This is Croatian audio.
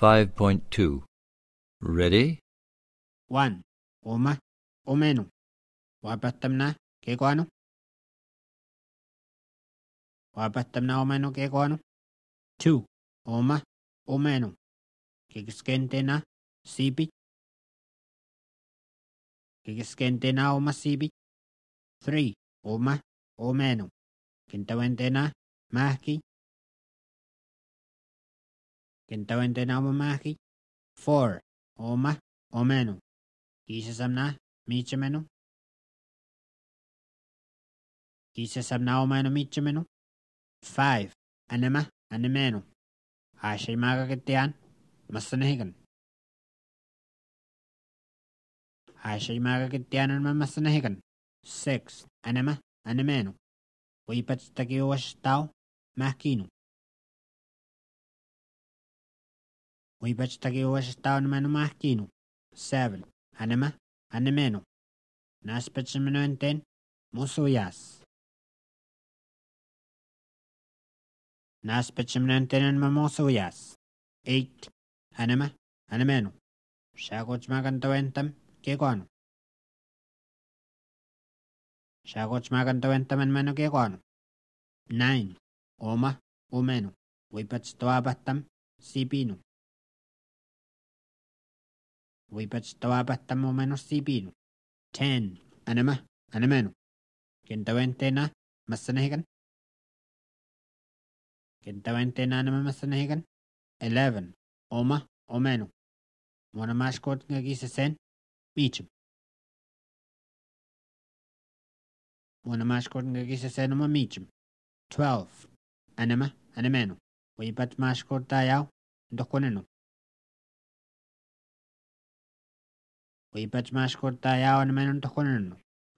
5.2. Ready? 1. Uma, umeno. Wapattamna, kekoano. Wapattamna umeno kekoano. 2. Uma, umeno. Kikiskentena, sipi. Kikiskentena uma sipi. 3. Uma, umeno. Kintawentena, mahki. Kintawentena uma mahki. 4. Uma, umeno. Kisasamna, michameno. Kisasamna umeno michameno. 5. Anima, animeno. Hashimaga kitian, masanahigan. Hashimaga kitian masanahigan. 6. Anima, animeno. Wipatstaki washtao, mahkino. Wipatstaki washtao namano mahkino. 7. Anima, animeno. Naspatsameno enten, musuyas. Naspatsameno enten musuyas. 8. Anima, animeno. Shagochmagantawentam, kekoano. Shagochmagantawentam anmano kekoano. 9. Oma, umeno. Wipatstawabatam, sipino. Wipatstawabatam umeno sipino. 10. Anima, animeno. Kintawentena, masanahigan. Kintawentena anima masanahigan. 11. Oma, umeno. Mona mashkot ngagisesen, michum. Mona mashkot ngagisesen uma michum. 12. Anima, animeno. Wipat mashkot tayaw, dokoneno. Wipat mashkot tayaw animeno dokoneno.